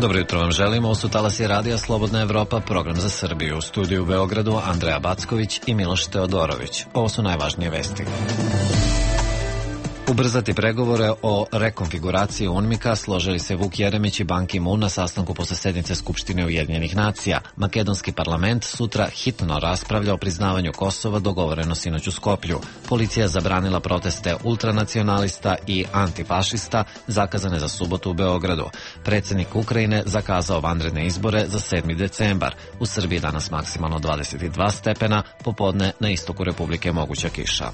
Dobro jutro vam želimo, ovo su talasi radija Slobodna Evropa, program za Srbiju. U studiju u Beogradu Andreja Backović i Miloš Teodorović. Ovo su najvažnije vesti. Ubrzati pregovore o rekonfiguraciji UNMIK-a složili se Vuk Jeremić i Ban Ki-moon na sastanku posle sednice Skupštine Ujedinjenih nacija. Makedonski parlament sutra hitno raspravlja o priznavanju Kosova, dogovoreno sinoć u Skoplju. Policija zabranila proteste ultranacionalista i antifašista zakazane za subotu u Beogradu. Predsjednik Ukrajine zakazao vanredne izbore za 7. decembar. U Srbiji danas maksimalno 22 stepena, popodne na istoku Republike moguća kiša.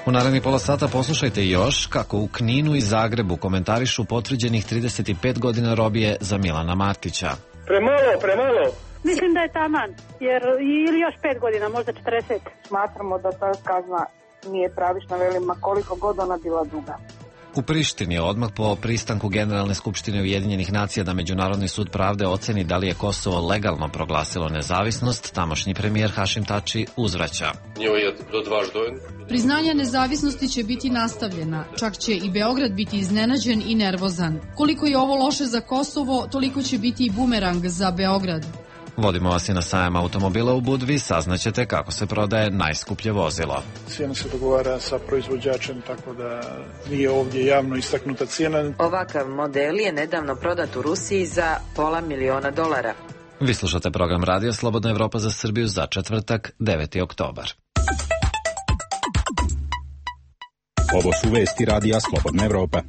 U narednih pola sata poslušajte još kako u Kninu i Zagrebu komentarišu potvrđenih 35 godina robije za Milana Martića. Premalo. Mislim da je taman, jer ili još 5 godina, možda 40. Smatramo da ta kazna nije pravična, velima koliko god ona bila duga. U Prištini odmah po pristanku Generalne skupštine Ujedinjenih nacija da Međunarodni sud pravde oceni da li je Kosovo legalno proglasilo nezavisnost, tamošnji premijer Hašim Tači uzvraća. Priznanje nezavisnosti će biti nastavljena, čak će i Beograd biti iznenađen i nervozan. Koliko je ovo loše za Kosovo, toliko će biti i bumerang za Beograd. Vodimo vas i na sajam automobila u Budvi, saznaćete kako se prodaje najskuplje vozilo. Cijena se dogovara sa proizvođačem, tako da nije ovdje javno istaknuta cijena. Ovakav model je nedavno prodat u Rusiji za $500.000. Vi slušate program radija Slobodna Evropa za Srbiju za četvrtak, 9. oktobar. Ovo su vesti radija Slobodna Evropa.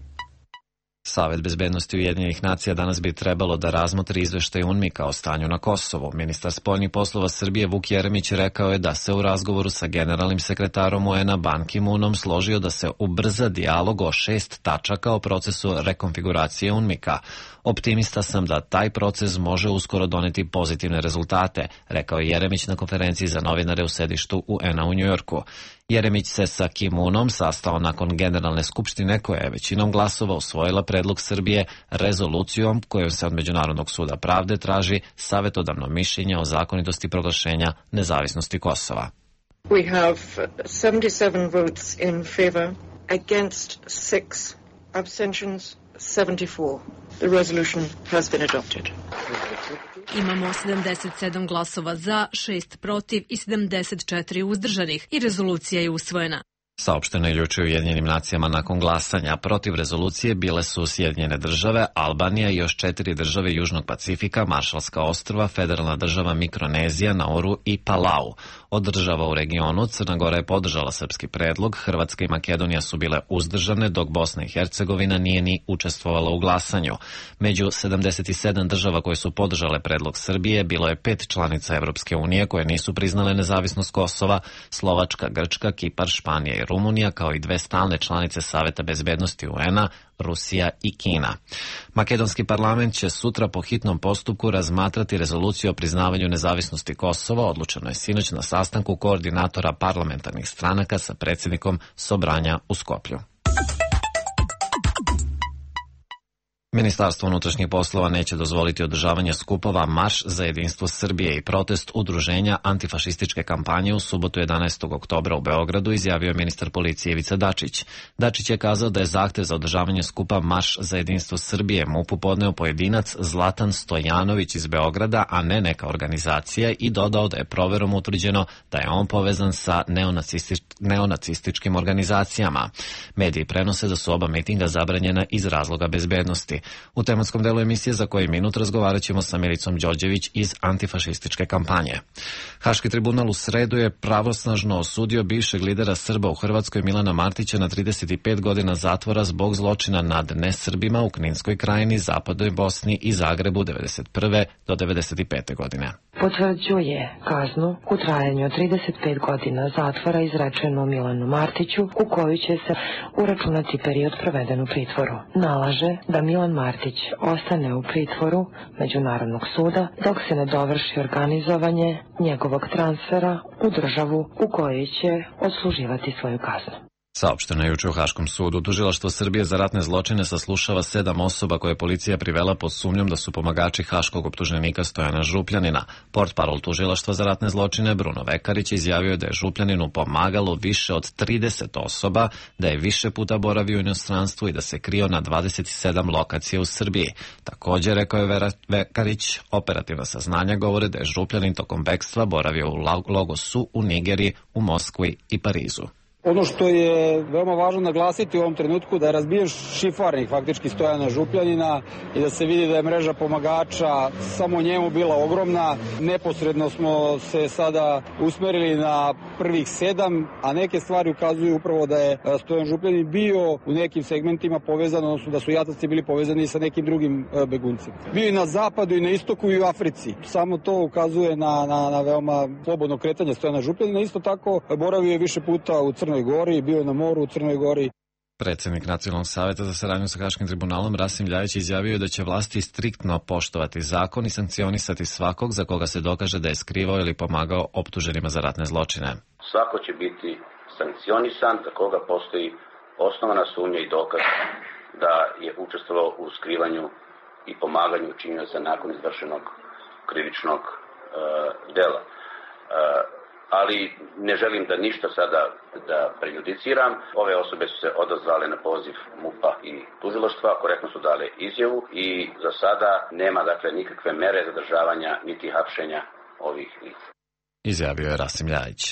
Savet bezbednosti Ujedinjenih nacija danas bi trebalo da razmotri izveštaj UNMIK-a o stanju na Kosovu. Ministar spoljnih poslova Srbije Vuk Jeremić rekao je da se u razgovoru sa generalnim sekretarom UN-a Ban Ki-moonom složio da se ubrza dijalog o 6 tačaka o procesu rekonfiguracije UNMIK-a. Optimista sam da taj proces može uskoro doneti pozitivne rezultate, rekao je Jeremić na konferenciji za novinare u sedištu UN-a u Njujorku. Jeremić se sa Ki-moonom sastao nakon Generalne skupštine koja je većinom glasova usvojila predlog Srbije rezolucijom kojom se od Međunarodnog suda pravde traži savjetodavno mišljenje o zakonitosti proglašenja nezavisnosti Kosova. We have 77 votes in favor, against 6, abstentions 74. The resolution has been adopted. Imamo 77 glasova za, 6 protiv i 74 uzdržanih i rezolucija je usvojena. Saopšteno je juče u Ujedinjenim nacijama nakon glasanja. Protiv rezolucije bile su Sjedinjene države, Albanija i još 4 države Južnog Pacifika, Maršalska ostrva, Federalna država Mikronezija, Nauru i Palau. Od država u regionu Crna Gora je podržala srpski predlog, Hrvatska i Makedonija su bile uzdržane, dok Bosna i Hercegovina nije ni učestvovala u glasanju. Među 77 država koje su podržale predlog Srbije bilo je 5 članica Evropske unije koje nisu priznale nezavisnost Kosova, Slovačka, Grčka, Kipar, Španija i Rumunija, kao i 2 stalne članice Saveta bezbednosti UN-a, Rusija i Kina. Makedonski parlament će sutra po hitnom postupku razmatrati rezoluciju o priznavanju nezavisnosti Kosova, odlučeno je sinoć na sastanku koordinatora parlamentarnih stranaka sa predsjednikom Sobranja u Skoplju. Ministarstvo unutrašnjih poslova neće dozvoliti održavanje skupova Marš za jedinstvo Srbije i protest udruženja antifašističke kampanje u subotu 11. oktobra u Beogradu, izjavio je ministar policije Ivica Dačić. Dačić je kazao da je zahtev za održavanje skupa Marš za jedinstvo Srbije MUP-u podneo pojedinac Zlatan Stojanović iz Beograda, a ne neka organizacija, i dodao da je proverom utvrđeno da je on povezan sa neonacističkim organizacijama. Mediji prenose da su oba mitinga zabranjena iz razloga bezbednosti. U tematskom delu emisije za koji minut razgovarat ćemo sa Milicom Đorđević iz antifašističke kampanje. Haški tribunal u sredu je pravosnažno osudio bivšeg lidera Srba u Hrvatskoj Milana Martića na 35 godina zatvora zbog zločina nad nesrbima u Kninskoj krajini, Zapadnoj Bosni i Zagrebu 1991. do 1995. godine. Potvrđuje kaznu u trajanju od 35 godina zatvora izrečenu Milanu Martiću, u koju će se uračunati period proveden u pritvoru. Nalaže da Milan Martić ostane u pritvoru Međunarodnog suda dok se ne dovrši organizovanje njegovog transfera u državu u kojoj će odsluživati svoju kaznu. Saopšteno je juče u Haškom sudu. Tužilaštvo Srbije za ratne zločine saslušava 7 osoba koje je policija privela pod sumnjom da su pomagači haškog optuženika Stojana Župljanina. Portparol tužilaštva za ratne zločine Bruno Vekarić izjavio da je Župljaninu pomagalo više od 30 osoba, da je više puta boravio u inostranstvu i da se krio na 27 lokacija u Srbiji. Također, rekao je Vekarić, operativna saznanja govore da je Župljanin tokom bekstva boravio u Lagosu, u Nigeriji, u Moskvi i Parizu. Ono što je veoma važno naglasiti u ovom trenutku da je razbijen šifarnik faktički Stojana Župljanina i da se vidi da je mreža pomagača samo njemu bila ogromna. Neposredno smo se sada usmerili na prvih 7, a neke stvari ukazuju upravo da je Stojan Župljanin bio u nekim segmentima povezan, odnosno da su jataci bili povezani sa nekim drugim beguncima. Bio i na zapadu i na istoku i u Africi. Samo to ukazuje na veoma slobodno kretanje Stojana Župljanina. Isto tako boravio je više puta u Crnoj Gori, bio je na moru u Crnoj Gori. Predsjednik Nacionalnog savjeta za saradnju sa Haškim tribunalom Rasim Ljajić izjavio da će vlasti striktno poštovati zakon i sankcionisati svakog za koga se dokaže da je skrivao ili pomagao optuženima za ratne zločine. Svako će biti sankcionisan za koga postoji osnovana sumnja i dokaz da je učestvovao u skrivanju i pomaganju učinioca nakon izvršenog krivičnog dela. Ali ne želim da ništa sada da prejudiciram. Ove osobe su se odazvale na poziv MUP-a i tužilaštva, korektno su dale izjavu i za sada nema nikakve mere zadržavanja niti hapšenja ovih lica. Izjavio je Rasim Ljajić.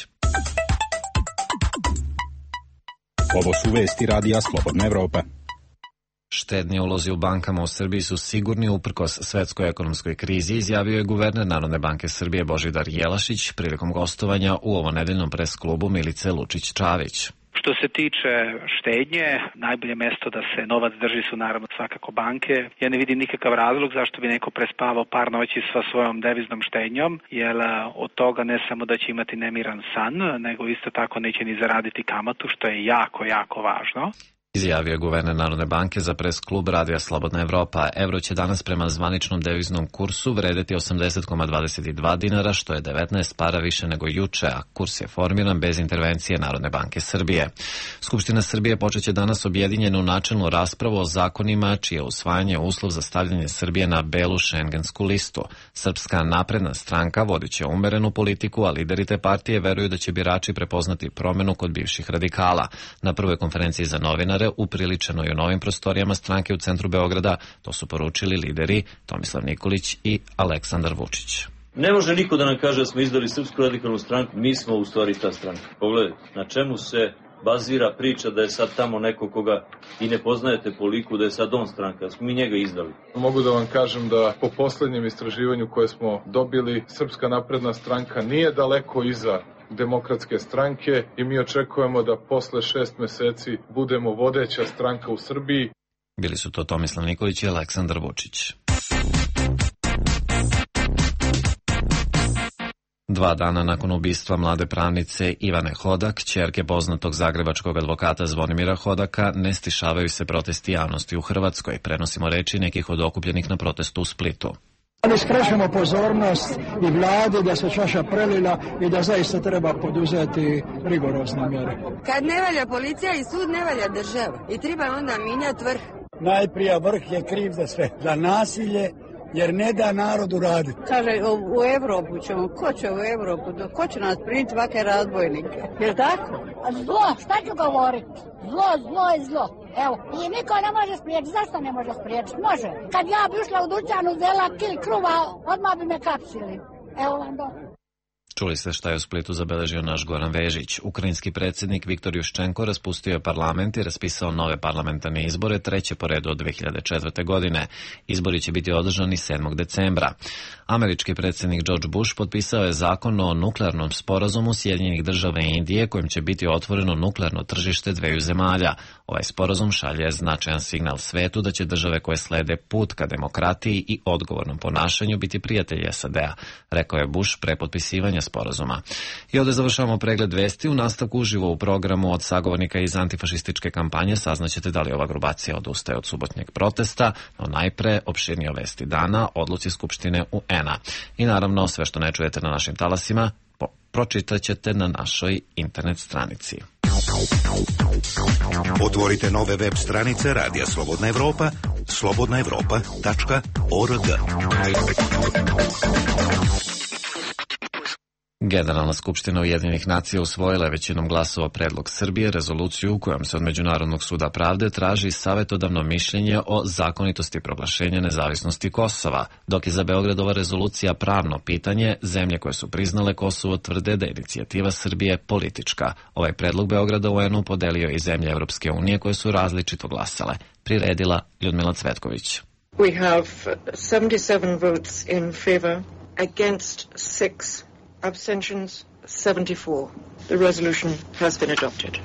Ovo su vesti radija Slobodna Evropa. Štedni ulozi u bankama u Srbiji su sigurni uprkos svetskoj ekonomskoj krizi, izjavio je guverner Narodne banke Srbije Božidar Jelašić prilikom gostovanja u ovonedeljnom pres klubu Milice Lučić-Čavić. Što se tiče štednje, najbolje mesto da se novac drži su naravno svakako banke. Ja ne vidim nikakav razlog zašto bi neko prespavao par noći sa svojom deviznom štednjom, jer od toga ne samo da će imati nemiran san, nego isto tako neće ni zaraditi kamatu, što je jako, jako važno. Izjavio je guverner Narodne banke za pres klub Radija Slobodna Evropa. Evro će danas prema zvaničnom deviznom kursu vredeti 80,22 dinara, što je 19 para više nego juče, a kurs je formiran bez intervencije Narodne banke Srbije. Skupština Srbije počeće danas objedinjenu načelnu raspravu o zakonima čije usvajanje uslov za stavljanje Srbije na belu šengensku listu. Srpska napredna stranka vodit će umerenu politiku, a lideri te partije veruju da će birači prepoznati promenu kod bivših radikala. Na prvoj konferenciji za novinare upriličeno i u novim prostorijama stranke u centru Beograda, to su poručili lideri Tomislav Nikolić i Aleksandar Vučić. Ne može niko da nam kaže da smo izdali Srpsku radikalnu stranku, mi smo u stvari ta stranka. Pogledajte, na čemu se bazira priča da je sad tamo neko koga i ne poznajete po liku, da je sad on stranka, da smo mi njega izdali. Mogu da vam kažem da po poslednjem istraživanju koje smo dobili, Srpska napredna stranka nije daleko iza Demokratske stranke i mi očekujemo da posle 6 meseci budemo vodeća stranka u Srbiji. Bili su to Tomislav Nikolić i Aleksandar Vučić. 2 dana nakon ubistva mlade pravnice Ivane Hodak, ćerke poznatog zagrebačkog advokata Zvonimira Hodaka, ne stišavaju se protesti javnosti u Hrvatskoj. Prenosimo reči nekih od okupljenih na protestu u Splitu. Ali skrećemo pozornost i vladi da se čaša prelila i da zaista treba poduzeti rigorozne mjere. Kad ne valja policija i sud, ne valja država i treba onda minjati vrh. Najprije vrh je kriv za sve, za nasilje, jer ne da narodu raditi. Kaže, u Evropu ćemo, ko će u Evropu, ko će nas primiti ovake razbojnike, je li tako? Zlo, šta ću govoriti? Zlo je zlo. Evo, i niko ne može spriječiti. Zašto ne može spriječiti? Može. Kad ja bi ušla u dućan, uzela kil kruva, odmah bi me kapsili. Evo vam do. Čuli ste šta je u Splitu zabeležio naš Goran Vežić. Ukrajinski predsjednik Viktor Juščenko raspustio je parlament i raspisao nove parlamentarne izbore, 3. po redu od 2004. godine. Izbori će biti održani 7. decembra. Američki predsjednik George Bush potpisao je zakon o nuklearnom sporazumu Sjedinjenih Država i Indije, kojim će biti otvoreno nuklearno tržište dveju zemalja. Ovaj sporazum šalje značajan signal svetu da će države koje slede put ka demokratiji i odgovornom ponašanju biti prijatelji SAD-a, rekao je Bush pre potpisivanja sporazuma. I ovdje završavamo pregled vesti. U nastavku uživo u programu od sagovornika iz antifašističke kampanje saznaćete da li ova grupacija odustaje od subotnjeg protesta, no najpre opširnije vesti dana, odluci Skupštine UN-a. I naravno sve što ne čujete na našim talasima pročitat ćete na našoj internet stranici. Otvorite nove web stranice Radija Slobodna Evropa, slobodnaevropa.org. Generalna skupština Ujedinjenih nacija usvojila je većinom glasova predlog Srbije, rezoluciju u kojom se od Međunarodnog suda pravde traži savetodavno mišljenje o zakonitosti proglašenja nezavisnosti Kosova, dok je za Beograd ova rezolucija pravno pitanje. Zemlje koje su priznale Kosovo tvrde da je inicijativa Srbije politička. Ovaj predlog Beograda u UN-u podelio i zemlje Evropske unije koje su različito glasale. Priredila Ljudmila Cvetković. We have 77 votes in favor, against 6. Abstentions 74. The resolution has been adopted.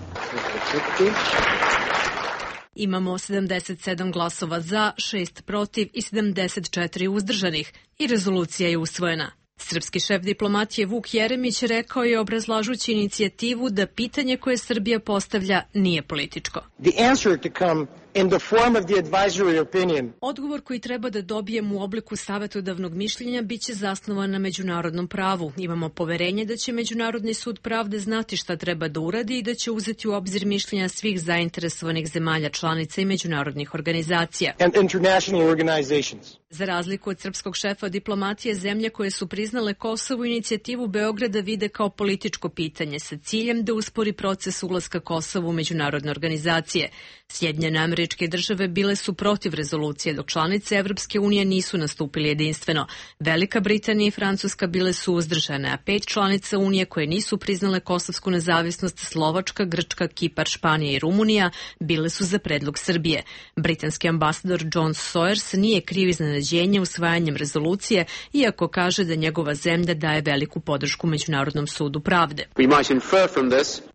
Imamo 77 glasova za, 6 protiv i 74 uzdržanih i rezolucija je usvojena. Srpski šef diplomatije Vuk Jeremić rekao je obrazlažući inicijativu da pitanje koje Srbija postavlja nije političko. The answer to come in the form of the advisory opinion. Odgovor koji treba da dobijemo u obliku savetodavnog mišljenja biće zasnovan na međunarodnom pravu. Imamo poverenje da će Međunarodni sud pravde znati šta treba da uradi i da će uzeti u obzir mišljenja svih zainteresovanih zemalja članica i međunarodnih organizacija. And international organizations. Za razliku od srpskog šefa diplomatije, zemlje koje su priznale Kosovu inicijativu Beograda vide kao političko pitanje sa ciljem da uspori proces ulaska Kosova u međunarodne organizacije. Sjedinjene Američke Države bile su protiv rezolucije, dok članice Evropske unije nisu nastupili jedinstveno. Velika Britanija i Francuska bile su uzdržane, a 5 članica Unije koje nisu priznale kosovsku nezavisnost, Slovačka, Grčka, Kipar, Španija i Rumunija, bile su za predlog Srbije. Britanski ambasador John Sawyers nije kriv iznenađenja usvajanjem rezolucije, iako kaže da njegova zemlja daje veliku podršku Međunarodnom sudu pravde.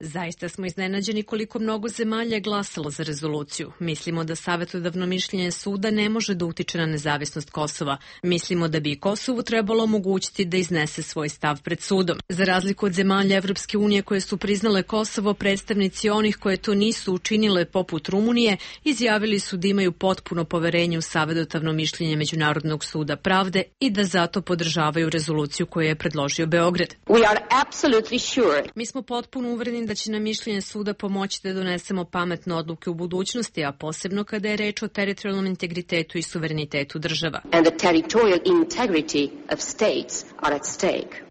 Zaista smo iznenađeni koliko mnogo zemalja je glasalo za rezoluciju. Mislimo da savetodavno mišljenje suda ne može da utiče na nezavisnost Kosova. Mislimo da bi i Kosovu trebalo omogućiti da iznese svoj stav pred sudom. Za razliku od zemalja Evropske unije koje su priznale Kosovo, predstavnici onih koje to nisu učinile poput Rumunije izjavili su da imaju potpuno poverenje u savetodavno mišljenje Međunarodnog suda pravde i da zato podržavaju rezoluciju koju je predložio Beograd. Mi smo potpuno uvereni da će nam mišljenje suda pomoći da donesemo pametne odluke u budućnosti, a posebno kada je reč o teritorijalnom integritetu i suverenitetu država.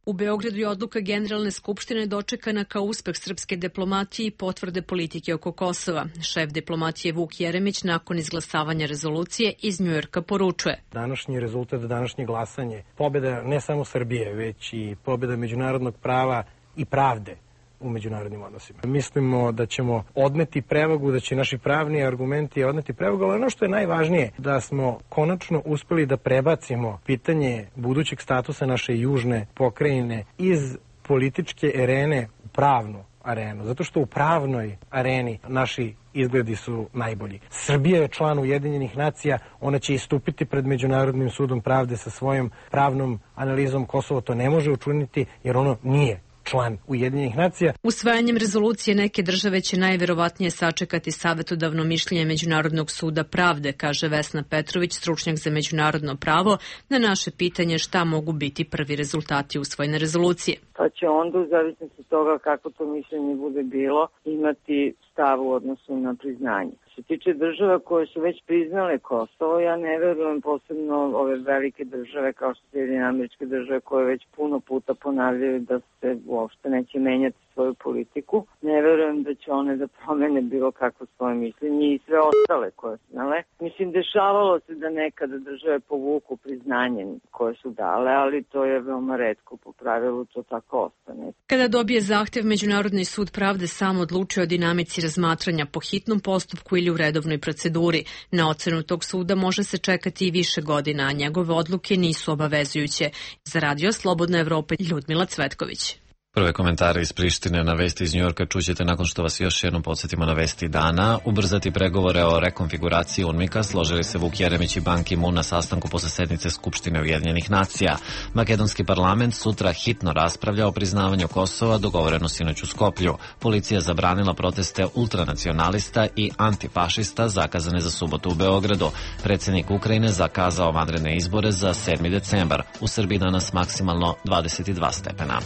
U Beogradu je odluka Generalne skupštine dočekana kao uspeh srpske diplomatije i potvrde politike oko Kosova. Šef diplomatije Vuk Jeremić nakon izglasavanja rezolucije iz Njujorka poručuje. Današnji rezultat, današnje glasanje, pobjeda ne samo Srbije, već i pobjeda međunarodnog prava i pravde u međunarodnim odnosima. Mislimo da ćemo odneti prevagu, da će naši pravni argumenti odneti prevagu, ali ono što je najvažnije, da smo konačno uspeli da prebacimo pitanje budućeg statusa naše južne pokrajine iz političke arene u pravnu arenu, zato što u pravnoj areni naši izgledi su najbolji. Srbija je član Ujedinjenih nacija, ona će istupiti pred Međunarodnim sudom pravde sa svojom pravnom analizom. Kosovo to ne može učiniti jer ono nije član Ujedinjenih nacija. Usvajanjem rezolucije neke države će najverovatnije sačekati savetodavno mišljenje Međunarodnog suda pravde, kaže Vesna Petrović, stručnjak za međunarodno pravo, na naše pitanje šta mogu biti prvi rezultati usvojene rezolucije. Pa će onda, u zavisnosti od toga kako to mišljenje bude bilo, imati stav u odnosu na priznanje. Što se tiče država koje su već priznale Kosovo, ja ne verujem, posebno ove velike države kao što Sjedinjene Američke Države koje već puno puta ponavljaju da se uopšte neće menjati svoju politiku. Ne verujem da će one da promene bilo kakvo svoje mišljenje i sve ostale koje su dale. Mislim, dešavalo se da nekada države povuku priznanje koje su dale, ali to je veoma retko, po pravilu to tako ostane. Kada dobije zahtev, Međunarodni sud pravde sam odlučio o dinamici razmatranja po hitnom postupku ili u redovnoj proceduri. Na ocenu tog suda može se čekati i više godina, a njegove odluke nisu obavezujuće. Za Radio Slobodna Evropa, Ljudmila Cvetković. Prve komentare iz Prištine na vesti iz Njujorka čućete nakon što vas još jednom podsjetimo na vesti dana. Ubrzati pregovore o rekonfiguraciji UNMIK-a složili se Vuk Jeremić i Ban Ki-moon na sastanku posle sednice Skupštine Ujedinjenih nacija. Makedonski parlament sutra hitno raspravlja o priznavanju Kosova, dogovoreno sinoć u Skoplju. Policija zabranila proteste ultranacionalista i antifašista zakazane za subotu u Beogradu. Predsjednik Ukrajine zakazao vanredne izbore za 7. decembar. U Srbiji danas maksimalno 22 stepena.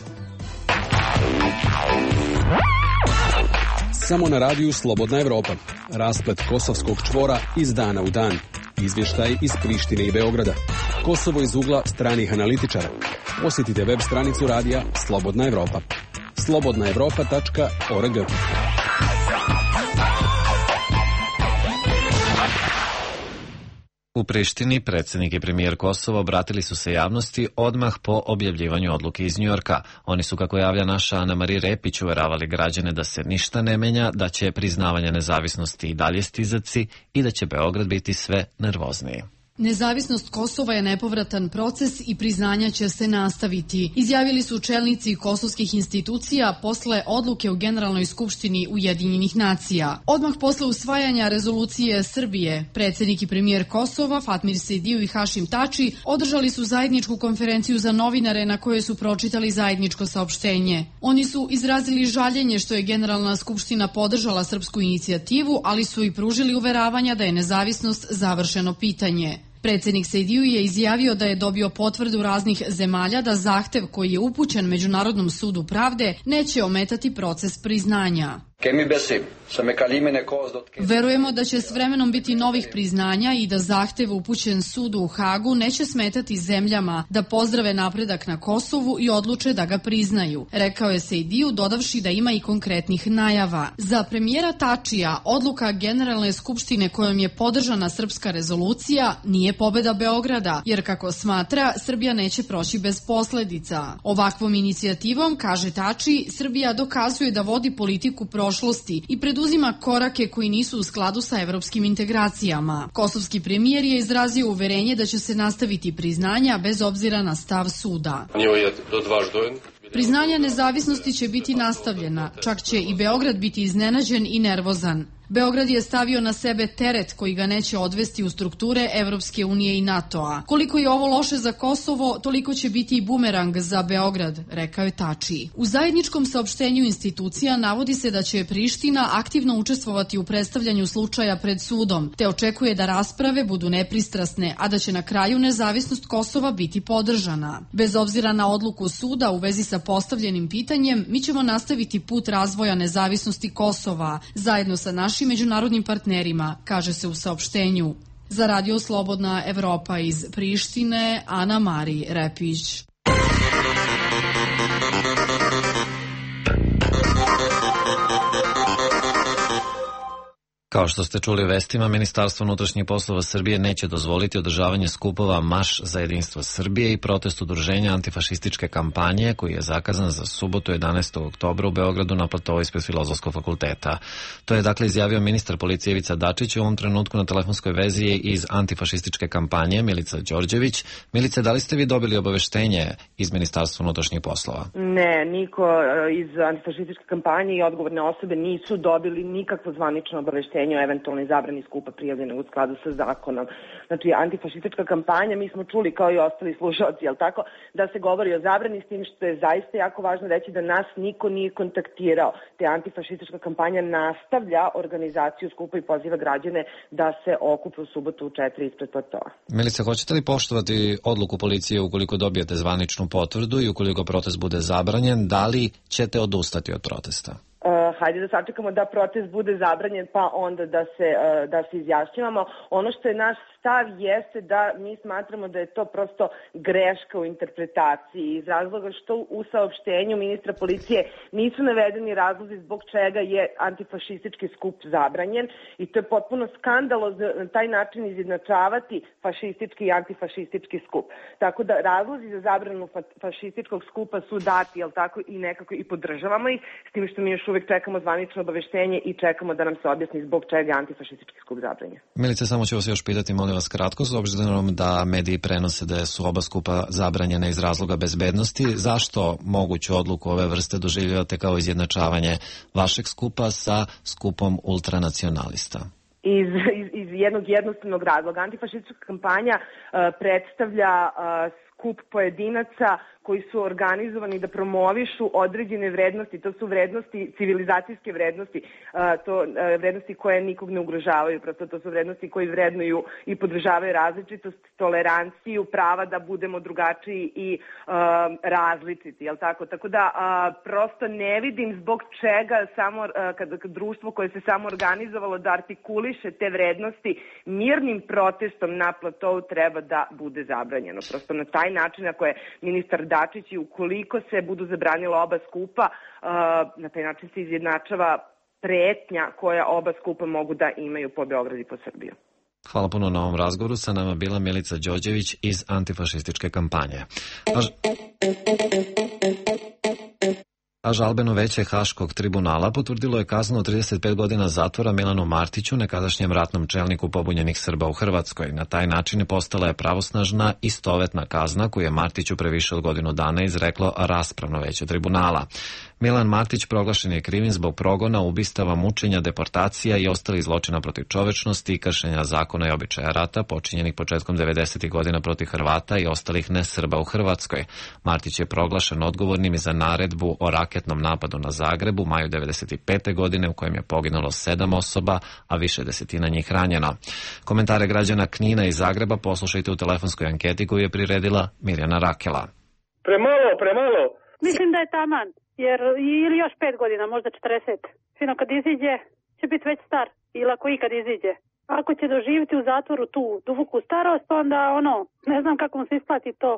Samo na radiju Slobodna Evropa. Rasplet kosovskog čvora iz dana u dan. Izvještaj iz Prištine i Beograda. Kosovo iz ugla stranih analitičara. Posjetite web stranicu radija Slobodna Evropa. slobodnaevropa.org. U Prištini predsjednik i premijer Kosova obratili su se javnosti odmah po objavljivanju odluke iz Njujorka. Oni su, kako javlja naša Ana Marija Repić, uveravali građane da se ništa ne menja, da će priznavanje nezavisnosti i dalje stizati i da će Beograd biti sve nervozniji. Nezavisnost Kosova je nepovratan proces i priznanja će se nastaviti, izjavili su čelnici kosovskih institucija posle odluke u Generalnoj skupštini Ujedinjenih nacija. Odmah posle usvajanja rezolucije Srbije, predsjednik i premijer Kosova Fatmir Sejdiju i Hašim Tači održali su zajedničku konferenciju za novinare na kojoj su pročitali zajedničko saopštenje. Oni su izrazili žaljenje što je Generalna skupština podržala srpsku inicijativu, ali su i pružili uveravanja da je nezavisnost završeno pitanje. Predsjednik Sejdiju je izjavio da je dobio potvrdu raznih zemalja da zahtev koji je upućen Međunarodnom sudu pravde neće ometati proces priznanja. Verujemo da će s vremenom biti novih priznanja i da zahtev upućen sudu u Hagu neće smetati zemljama da pozdrave napredak na Kosovu i odluče da ga priznaju, rekao je Sejdiju, dodavši da ima i konkretnih najava. Za premijera Tačija odluka Generalne skupštine kojom je podržana srpska rezolucija nije pobeda Beograda, jer kako smatra, Srbija neće proći bez posledica. Ovakvom inicijativom, kaže Tači, Srbija dokazuje da vodi politiku prošlosti i preduzima korake koji nisu u skladu sa evropskim integracijama. Kosovski premijer je izrazio uverenje da će se nastaviti priznanja bez obzira na stav suda. Priznanje nezavisnosti će biti nastavljena, čak će i Beograd biti iznenađen i nervozan. Beograd je stavio na sebe teret koji ga neće odvesti u strukture Evropske unije i NATO-a. Koliko je ovo loše za Kosovo, toliko će biti i bumerang za Beograd, rekao je Tači. U zajedničkom saopštenju institucija navodi se da će Priština aktivno učestvovati u predstavljanju slučaja pred sudom, te očekuje da rasprave budu nepristrasne, a da će na kraju nezavisnost Kosova biti podržana. Bez obzira na odluku suda u vezi sa postavljenim pitanjem, mi ćemo nastaviti put razvoja nezavisnosti Kosova, zajedno sa našim međunarodnim partnerima, kaže se u saopštenju. Za Radio Slobodna Evropa iz Prištine, Ana Marija Repić. Kao što ste čuli u vestima, Ministarstvo unutrašnjih poslova Srbije neće dozvoliti održavanje skupova Marš za jedinstvo Srbije i protest udruženja antifašističke kampanje koji je zakazan za subotu 11. oktobra u Beogradu na platovu ispred Filozofskog fakulteta. To je dakle izjavio ministar policije Ivica Dačić. U ovom trenutku na telefonskoj vezi je iz antifašističke kampanje Milica Đorđević. Milice, da li ste vi dobili obaveštenje iz Ministarstva unutrašnjih poslova? Ne, niko iz antifašističke kampanje i odgovorne osobe nisu dobili nikakvo zvanično obaveštenje o eventualnoj zabrani skupa prijavljene u skladu sa zakonom. Znači, antifašistička kampanja, mi smo čuli kao i ostali slušalci, jel tako, da se govori o zabrani, s tim što je zaista jako važno reći da nas niko nije kontaktirao. Te antifašistička kampanja nastavlja organizaciju skupa i poziva građane da se okupe u subotu u 4 ispred platoa. Milice, hoćete li poštovati odluku policije ukoliko dobijete zvaničnu potvrdu i ukoliko protest bude zabranjen, da li ćete odustati od protesta? Hajde da sačekamo da protest bude zabranjen pa onda da se izjašnjavamo. Ono što je naš stav jeste da mi smatramo da je to prosto greška u interpretaciji iz razloga što u saopštenju ministra policije nisu navedeni razlozi zbog čega je antifašistički skup zabranjen i to je potpuno skandalozno na taj način izjednačavati fašistički i antifašistički skup. Tako da razlozi za zabranu fašističkog skupa su dati, jel tako, i nekako i podržavamo ih, s tim što mi još uvek čekamo zvanično obaveštenje i čekamo da nam se objasni zbog čega je antifašistički skup zabranjen. Milice, samo ću vas još pitati, molim vas kratko, s obzirom da mediji prenose da su oba skupa zabranjene iz razloga bezbednosti, zašto moguću odluku ove vrste doživljavate kao izjednačavanje vašeg skupa sa skupom ultranacionalista? Iz jednog jednostavnog razloga. Antifašistička kampanja predstavlja skup pojedinaca koji su organizovani da promovišu određene vrednosti. To su vrednosti, civilizacijske vrednosti, vrednosti koje nikog ne ugrožavaju. Prosto to su vrednosti koji vrednuju i podržavaju različitost, toleranciju, prava da budemo drugačiji i različiti. Jel tako? Tako da prosto ne vidim zbog čega samo kada društvo koje se samo organizovalo da artikuliše te vrednosti mirnim protestom na platou treba da bude zabranjeno. Prosto na taj način, ako je ministar Dačić i ukoliko se budu zabranila oba skupa, na taj način se izjednačava pretnja koja oba skupa mogu da imaju po Beograd i po Srbiju. Hvala puno na ovom razgovoru. Sa nama bila Milica Đorđević iz antifašističke kampanje. A žalbeno veće Haškog tribunala potvrdilo je kaznu od 35 godina zatvora Milanu Martiću, nekadašnjem ratnom čelniku pobunjenih Srba u Hrvatskoj. Na taj način postala je pravosnažna istovetna kazna koju je Martiću pre više od godinu dana izreklo raspravno veće tribunala. Milan Martić proglašen je krivim zbog progona, ubistava, mučenja, deportacija i ostalih zločina protiv čovečnosti i kršenja zakona i običaja rata počinjenih početkom 90. godina protiv Hrvata i ostalih nesrba u Hrvatskoj. Martić je proglašen odgovornim i za naredbu o raketnom napadu na Zagreb u maju 95. godine u kojem je poginulo 7 osoba, a više desetina njih ranjeno. Komentare građana Knina i Zagreba poslušajte u telefonskoj anketi koju je priredila Mirjana Rakela. Premalo. Mislim da je taman. Jer ili još 5 godina, možda 40. Sino kad iziđe, će biti već star. Ili ako ikad iziđe. Ako će doživjeti u zatvoru tu duboku starost, onda ne znam kako mu se isplati to.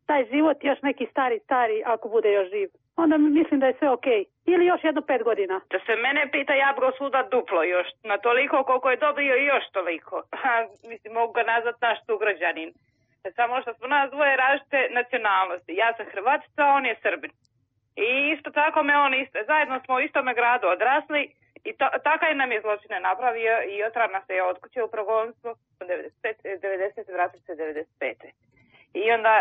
Taj život još neki stari, ako bude još živ. Onda mislim da je sve okej. Ili još jedno 5 godina. Da se mene pita, ja bi suda duplo još. Na toliko koliko je dobio i još toliko. Mislim, mogu ga nazvat naš sugrađanin. Samo što smo nas dvoje različite nacionalnosti. Ja sam Hrvatica, on je Srbin. I isto tako zajedno smo u istome gradu odrasli i takav nam je zločine napravio i otra nas je od kuće u progonstvo 90. vratili se 95. I onda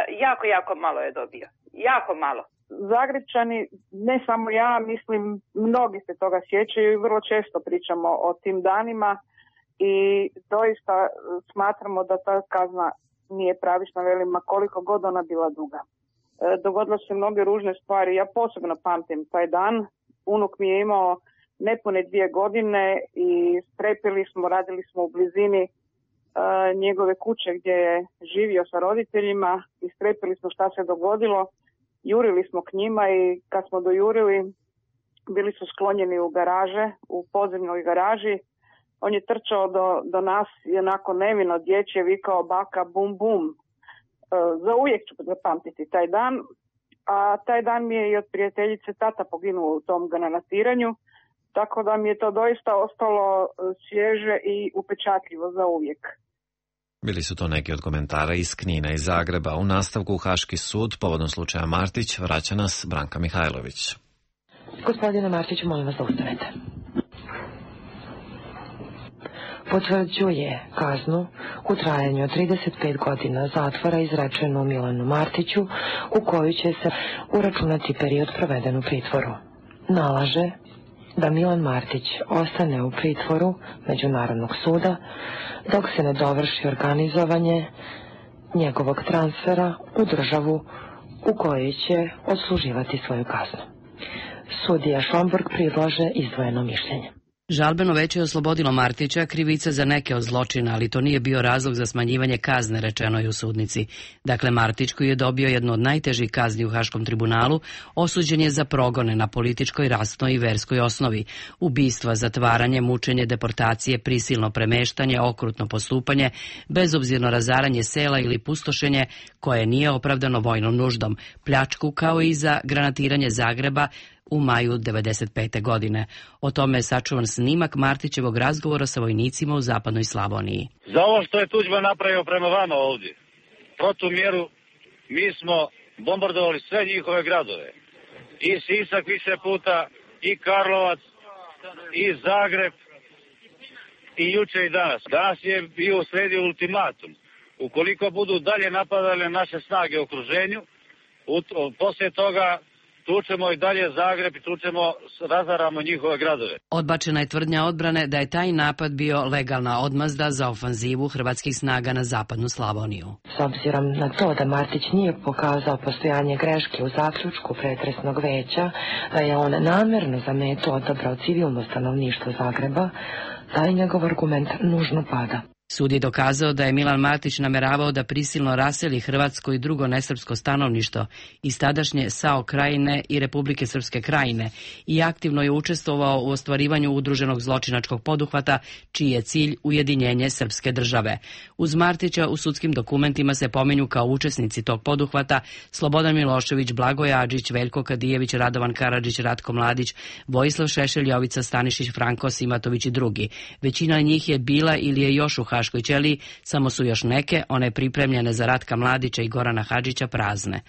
jako malo je dobio. Jako malo. Zagrebčani, ne samo ja, mislim mnogi se toga sjećaju i vrlo često pričamo o tim danima i doista smatramo da ta kazna nije pravična, velim, koliko god ona bila duga. Dogodilo se mnoge ružne stvari. Ja posebno pamtim taj dan. Unuk mi je imao nepune 2 godine i strepili smo, radili smo u blizini njegove kuće gdje je živio sa roditeljima i strepili smo šta se dogodilo. Jurili smo k njima i kad smo dojurili, bili su sklonjeni u garaže, u podzemnoj garaži. On je trčao do nas i onako nevino dječje vikao baka bum bum. Za uvijek ću zapamtiti taj dan, a taj dan mi je i od prijateljice tata poginuo u tom granatiranju, tako da mi je to doista ostalo svježe i upečatljivo za uvijek. Bili su to neki od komentara iz Knina i Zagreba. U nastavku Haški sud povodom slučaja Martić vraća nas Branka Mihajlović. Gospodine Martiću, molim vas da ustanete. Potvrđuje kaznu u trajanju od 35 godina zatvora izrečenu Milanu Martiću, u koju će se uračunati period proveden u pritvoru. Nalaže da Milan Martić ostane u pritvoru Međunarodnog suda dok se ne dovrši organizovanje njegovog transfera u državu u kojoj će odsluživati svoju kaznu. Sudija Šomburg predlaže izdvojeno mišljenje. Žalbeno veće je oslobodilo Martića krivica za neke od zločina, ali to nije bio razlog za smanjivanje kazne, rečeno je u sudnici. Dakle, Martić, koji je dobio jednu od najtežih kazni u Haškom tribunalu, osuđen je za progone na političkoj, rasnoj i verskoj osnovi, ubistva, zatvaranje, mučenje, deportacije, prisilno premeštanje, okrutno postupanje, bezobzirno razaranje sela ili pustošenje koje nije opravdano vojnom nuždom, pljačku, kao i za granatiranje Zagreba u maju 95. godine. O tome je sačuvan snimak Martićevog razgovora sa vojnicima u zapadnoj Slavoniji. Za ovo što je Tuđman napravio prema vama ovdje, protumjeru, mi smo bombardovali sve njihove gradove. I Sisak više puta, i Karlovac, i Zagreb, i juče i danas. Danas je bio usledio ultimatum. Ukoliko budu dalje napadale naše snage u okruženju, poslije toga tučemo i dalje Zagreb i razaramo njihove gradove. Odbačena je tvrdnja odbrane da je taj napad bio legalna odmazda za ofanzivu hrvatskih snaga na zapadnu Slavoniju. S obzirom na to da Martić nije pokazao postojanje greške u zaključku pretresnog veća, da je on namerno za metu odabrao civilno stanovništvo Zagreba, taj njegov argument nužno pada. Sud je dokazao da je Milan Martić nameravao da prisilno raseli hrvatsko i drugo nesrpsko stanovništvo iz tadašnje SAO Krajine i Republike Srpske Krajine i aktivno je učestvovao u ostvarivanju udruženog zločinačkog poduhvata, čiji je cilj ujedinjenje srpske države. Uz Martića u sudskim dokumentima se pominju kao učesnici tog poduhvata Slobodan Milošević, Blagoje Adžić, Veljko Kadijević, Radovan Karadžić, Ratko Mladić, Vojislav Šešelj, Jovica Stanišić, Franko Simatović i drugi. Većina njih je bila ili je još u Haškoj ćeliji, samo su još neke, one pripremljene za Ratka Mladića i Gorana Hadžića, prazne.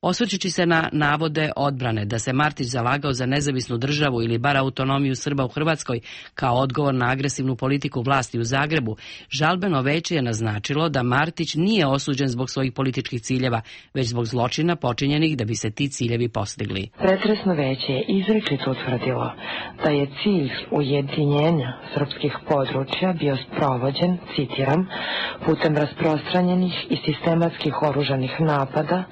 Osvrćući se na navode odbrane da se Martić zalagao za nezavisnu državu ili bar autonomiju Srba u Hrvatskoj kao odgovor na agresivnu politiku vlasti u Zagrebu, žalbeno veće je naznačilo da Martić nije osuđen zbog svojih političkih ciljeva, već zbog zločina počinjenih da bi se ti ciljevi postigli. Pretresno veće je izričito utvrdilo da je cilj ujedinjenja srpskih područja bio sprovođen, citiram, putem rasprostranjenih i sistematskih oružanih napada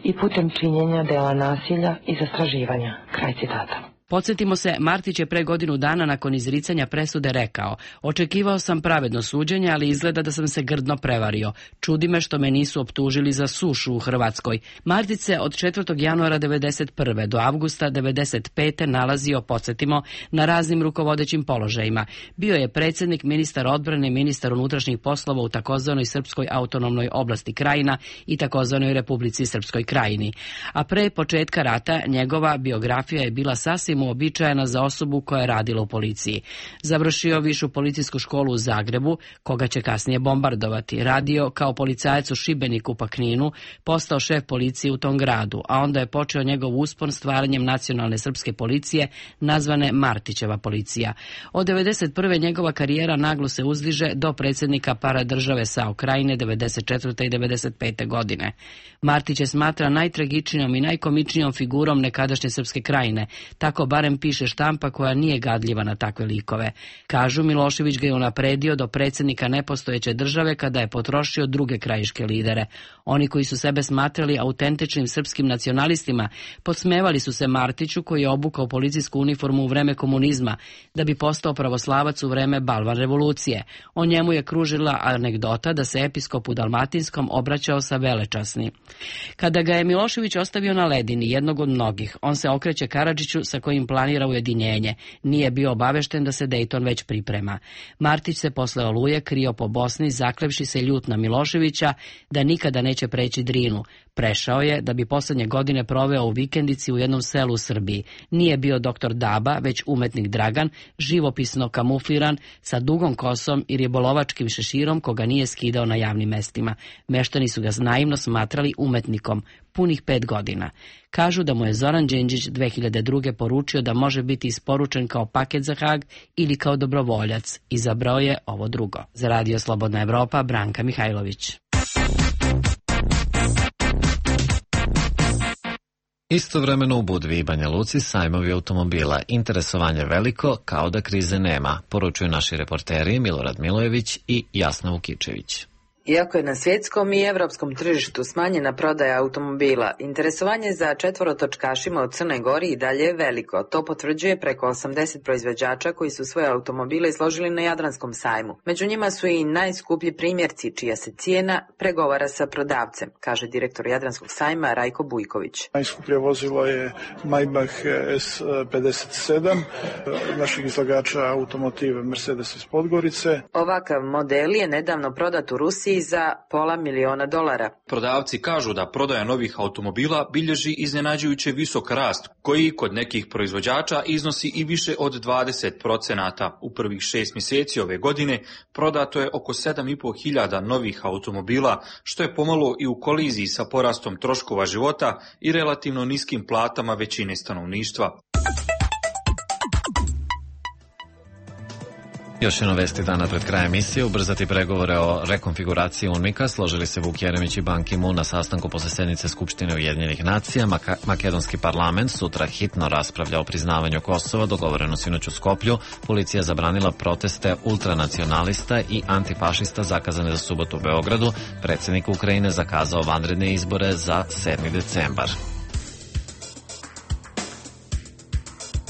i putem činjenja dela nasilja i zastraživanja. Kraj citata. Podsjetimo se, Martić je pre godinu dana nakon izricanja presude rekao: očekivao sam pravedno suđenje, ali izgleda da sam se grdno prevario. Čudi me što me nisu optužili za sušu u Hrvatskoj. Martić se od 4. januara 1991. do avgusta 1995. nalazio, podsjetimo, na raznim rukovodećim položajima. Bio je predsjednik, ministar odbrane, ministar unutrašnjih poslova u takozvanoj Srpskoj autonomnoj oblasti Krajina i takozvanoj Republici Srpskoj Krajini. A pre početka rata njegova biografija je bila sasvim uobičajena za osobu koja je radila u policiji. Završio višu policijsku školu u Zagrebu, koga će kasnije bombardovati. Radio kao policajac u Šibeniku pa Kninu, postao šef policije u tom gradu, a onda je počeo njegov uspon stvaranjem nacionalne srpske policije, nazvane Martićeva policija. Od 1991. njegova karijera naglo se uzdiže do predsjednika paradržave SAO Krajine 1994. i 1995. godine. Martić je smatra najtragičnijom i najkomičnijom figurom nekadašnje Srpske Krajine, tako barem piše štampa koja nije gadljiva na takve likove. Kažu, Milošević ga je unapredio do predsjednika nepostojeće države kada je potrošio druge krajiške lidere. Oni koji su sebe smatrali autentičnim srpskim nacionalistima podsmevali su se Martiću, koji je obukao policijsku uniformu u vreme komunizma da bi postao pravoslavac u vreme Balvan revolucije. O njemu je kružila anegdota da se episkop u Dalmatinskom obraćao sa velečasni. Kada ga je Milošević ostavio na ledini, jednog od mnogih, on se okreće Karadžiću sa kojim planira ujedinjenje. Nije bio obavešten da se Dejton već priprema. Martić se posle Oluje krio po Bosni, zaklevši se ljut na Miloševića da nikada neće preći Drinu. Prešao je da bi poslednje godine proveo u vikendici u jednom selu u Srbiji. Nije bio doktor Daba, već umetnik Dragan, živopisno kamufliran, sa dugom kosom i ribolovačkim šeširom koga nije skidao na javnim mestima. Meštani su ga naivno smatrali umetnikom, punih 5 godina. Kažu da mu je Zoran Đinđić 2002. poručio da može biti isporučen kao paket za Hag ili kao dobrovoljac. Izabrao je ovo drugo. Za Radio Slobodna Evropa, Branka Mihajlović. Istovremeno u Budvi i Banja Luci sajmovi automobila. Interesovanje veliko, kao da krize nema, poručuju naši reporteri Milorad Milojević i Jasna Vukičević. Iako je na svjetskom i evropskom tržištu smanjena prodaja automobila, interesovanje za četvorotočkašima u Crnoj Gori i dalje je veliko. To potvrđuje preko 80 proizvođača koji su svoje automobile izložili na Jadranskom sajmu. Među njima su i najskuplji primjerci, čija se cijena pregovara sa prodavcem, kaže direktor Jadranskog sajma Rajko Bujković. Najskuplje vozilo je Maybach S57, naših izlagača automotive Mercedes iz Podgorice. Ovakav model je nedavno prodat u Rusiji za $500.000. Prodavci kažu da prodaja novih automobila bilježi iznenađujuće visok rast, koji kod nekih proizvođača iznosi i više od 20%. U prvih 6 mjeseci ove godine prodato je oko 7.500 novih automobila, što je pomalo i u koliziji sa porastom troškova života i relativno niskim platama većine stanovništva. Još jedno vesti dana pred krajem emisije. Ubrzati pregovore o rekonfiguraciji UNMIK-a složili se Vuk Jeremić i Ban Ki-moon na sastanku posle sednice Skupštine Ujedinjenih nacija. Makedonski parlament sutra hitno raspravlja o priznavanju Kosova, dogovoreno sinoć u Skoplju. Policija zabranila proteste ultranacionalista i antifašista zakazane za subotu u Beogradu. Predsjednik Ukrajine zakazao vanredne izbore za 7. decembar.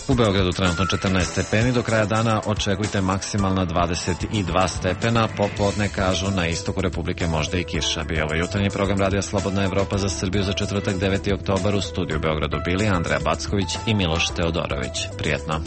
U Beogradu trenutno 14 stepeni, do kraja dana očekujte maksimalna 22 stepena, popodne kažu na istoku Republike možda i kiša. Bio ovo jutarnji program Radija Slobodna Evropa za Srbiju za četvrtak 9. oktobar. U studiju u Beogradu bili Andreja Backović i Miloš Teodorović. Prijetno.